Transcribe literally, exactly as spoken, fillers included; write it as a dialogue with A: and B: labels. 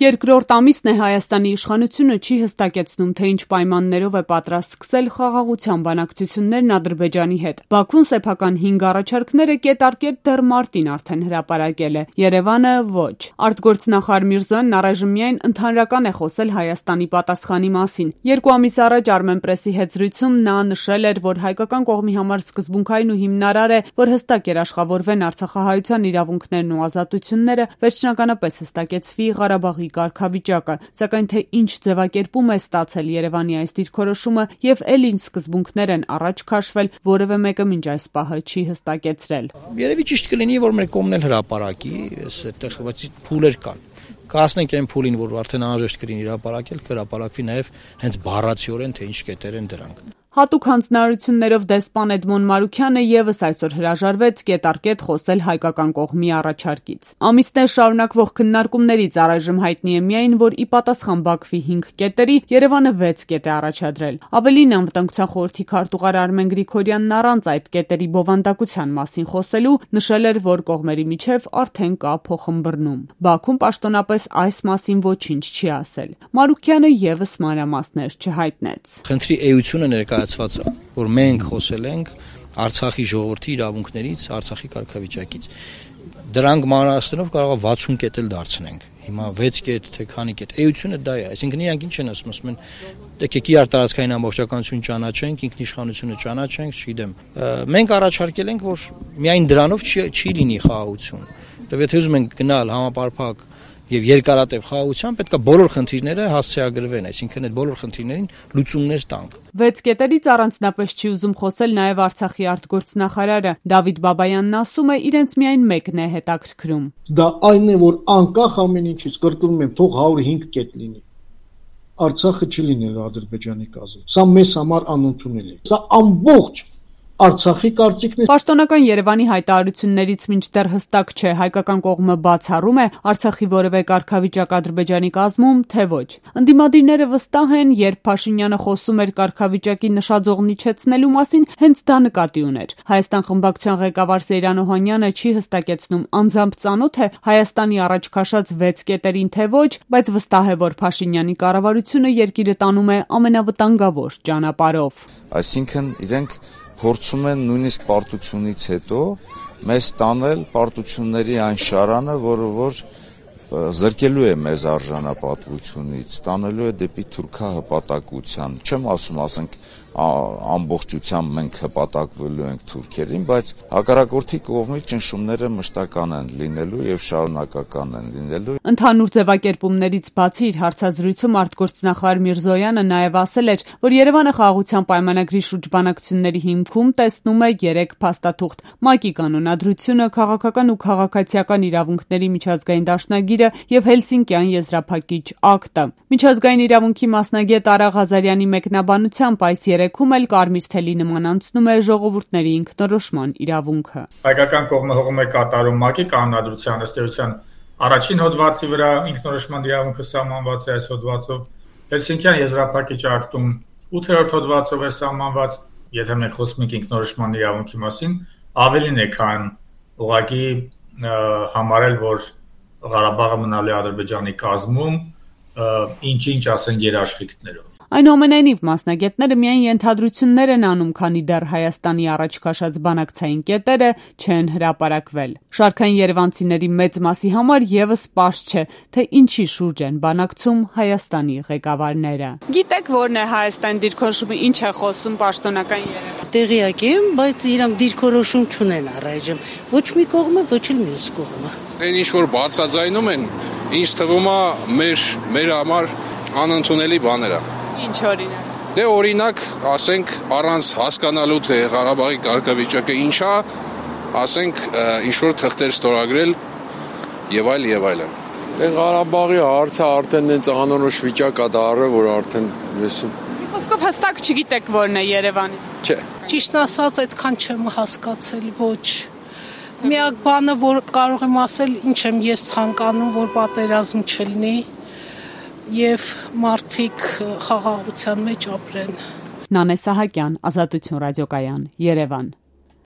A: Երկրորդ ամիսն է Հայաստանի իշխանությունը չի հստակեցնում, թե ինչ պայմաններով է պատրաստ սկսել խաղաղության բանակցություններն Ադրբեջանի հետ։ Բաքուն սեփական հինգ առաջարկները կետարկետ դեռ մարտին արդեն հրապարակել է, Երևանը ոչ։ Արտգործնախարար Միրզոյանն առայժմ միայն ընդհանրական է խոսել Հայաստանի պատասխանի մասին։ Երկու ամիս առաջ Armenpress-ի հետ զրույցում նա նշել էր, որ հայկական կողմի համար սկզբունքային ու հիմնարար է, որ հստակ երաշխավորվեն արցախահայության իրավունքներն ու ազատությունները, վերջնականապես հստակեցվի Ղարաբաղի կարգավիճակը, սակայն թե ինչ ձևակերպում է ստացել Երևանի այս դիրքորոշումը եւ էլ ինչ սկզբունքներ են առաջ քաշվել, որևէ մեկը մինչ այս պահը չի հստակեցրել։
B: Երևի ճիշտ կլինի, որ մեր կողմն էլ հրապարակի, այստեղ փուլեր կան։ Կհասնենք այն փուլին, որ արդեն անհրաժեշտ կլինի հրապարակել, կհրապարակվի նաեւ հենց բառացիորեն, թե ինչ կետեր են դրանք։
A: Հատուկ հանձնարարություններով դեսպան Էդմոն Մարուքյանը եւս այսօր հրաժարվեց կետարկետ խոսել հայկական կողմի առաջարկից։ Ամիսներ շարունակվող քննարկումներից առայժմ հայտնի է միայն, որ ի պատասխան Բաքվի հինգ կետերի Երևանը վեց կետ է առաջադրել։ Ավելին, Անվտանգության խորհրդի քարտուղար Արմեն Գրիգորյանն առանց այդ կետերի բովանդակության մասին խոսելու նշել էր, որ կողմերի միջև արդեն կա փոխըմբռնում։ Բաքուն պաշտոնապես այս մասին ոչինչ չի ասել։ Մարուքյանը եւս մանրամասներ չհայտնեց։
B: Խնդրի էությունը ներկայացված է, որ մենք խոսել ենք Արցախի ժողովրդի իրավունքներից, Արցախի կարգավիճակից։ Դրանք մանրամասներով կարող է վաթսուն կետ էլ դարձնենք։ Հիմա վեց կետ, թե քանի կետ։ Էությունը դա է, այսինքն իրանք ինչ են ասում, ասում են եկեք իրար տարածքային ամբողջականություն ճանաչենք, ինքնիշխանությունը ճանաչենք, չգիտեմ։ Մենք առաջարկել ենք, որ միայն դրանով չի, չի լինի խաղաղություն։ Դե եթե ուզում ենք գնալ համապարփակ եւ երկարատև խաղաղության, պետք է բոլոր խնդիրները հասցեագրվեն, այսինքն այդ բոլոր խնդիրներին լուծումներ տանք։
A: Վեց կետերից առանձնապես չի ուզում խոսել նաեւ Արցախի արտգործնախարարը Դավիթ Բաբայանն ասում է, իրենց միայն մեկն է հետաքրքրում։
C: Դա այն է, որ անկախ ամեն ինչից կրկնում եմ, թող հարյուր հինգ կետ լինի։ Արցախը չի լինելու Ադրբեջանի կազմում։ Սա մեզ համար անընդունել է։ Սա ամբողջ Արցախի կարծիքն է։
A: Պաշտոնական Երևանի հայտարարություններից մինչդեռ հստակ չէ, հայկական կողմը բացառում է Արցախի որևէ կարգավիճակ Ադրբեջանի կազմում, թե ոչ։ Ընդդիմադիրները վստահ են, երբ Փաշինյանը խոսում էր կարգավիճակի նշաձողն իջեցնելու մասին, հենց դա նկատի ուներ։ Հայաստան խմբակցության ղեկավար Սեյրան Օհանյանը չի հստակեցնում, անձամբ ծանոթ է Հայաստանի առաջ քաշած վեց կետերին, թե ոչ, բայց վստահ է, որ Փաշինյանի կառավարությունը երկիրը տանում է ամենավտանգավոր ճանապարհով։
D: Այսինքն իրենք փորձում են նույնիսկ պարտությունից հետո մեզ տանել պարտությունների այն շարանը, որը որ զրկելու է մեզ արժանապատվությունից, տանելու է դեպի թուրքահպատակության։ Չեմ ասում, ասենք ամբողջությամբ մենք հպատակվելու ենք թուրքերին, բայց հակառակորդի կողմից ճնշումները մշտական են լինելու եւ շարունակական են լինելու։
A: Ընդհանուր ձևակերպումներից բացի իր հարցազրույցում արտգործնախարար Միրզոյանը նաեւ ասել էր, որ Երևանը խաղաղության պայմանագրի շուրջ բանակցությունների հիմքում տեսնում է երեք փաստաթուղթ՝ ՄԱԿ-ի կանոնադրությունը, քաղաքական ու քաղաքացիական իրավունքների միջազգային դաշնագիրը եւ Հելսինկյան եզրափակիչ ակտը։ Միջազգային իրավունքի մասնագետ Արա Ղազարյանի մեկնաբանությամբ այս երեքում էլ կարմիր թելի նման անցնում է ժողովուրդների ինքնորոշման իրավունքը։
E: Հայկական կողմը հողում է կատարում ՄԱԿ-ի կանոնադրության ըստ էության առաջին հոդվածի վրա ինքնորոշման իրավունքը սահմանված է այս հոդվածով, Հելսինկյան եզրափակիչ ակտում ութերորդ հոդվածով է սահմանված, եթե մենք խոսում ենք ինքնորոշման իրավունքի մասին, ավելին է, քան ուղղակի համարել, որ Ղարաբաղը մնալու է Ադրբեջանի կազմում, ինչ-ինչ ասենք երաշխիքներով։
A: Այնուամենայնիվ մասնագետները միայն ենթադրություններ են անում, քանի դեռ Հայաստանի առաջ քաշած բանակցային կետերը չեն հրապարակվել։ Շարքային երևանցիների մեծ մասի համար եւս պարզ չէ, թե ինչի շուրջ են բանակցում Հայաստանի ղեկավարները։ Գիտեք, որն է Հայաստան դիրքորոշումը, ինչ է խոսում պաշտոնական Երևան։
F: Տեղյակ եմ, բայց իրանք դիրքորոշում չունեն առայժմ։ Ոչ մի կողմը, ոչ էլ մյուս կողմը։
G: Այն ինչ որ բարձրաձայնում են, ինձ թվում է մեր մեր համար անընդունելի բաներ է։
A: Ինչ օրինակ։
G: Դե օրինակ, ասենք, առանց հասկանալու թե Ղարաբաղի կարգավիճակը ինչ է, ասենք, ինչ որ թղթեր ստորագրել եւ այլ եւ այլն։
H: Դե Ղարաբաղի հարցը արդեն այնց անորոշ վիճակ է դառը, որ արդեն լսում։
A: Խոսքով հստակ չգիտեք որն է Երևանի։
H: Չէ։
F: Ճիշտ ասած, այդքան չեմ հասկացել, ոչ։ Միակ բանը, որ կարող եմ ասել, ինչ եմ ես ցանկանում, որ պատերազմ չլինի եւ մարդիկ խաղաղության մեջ ապրեն։
A: Նանե Սահակյան, Ազատություն ռադիոկայան, Երևան։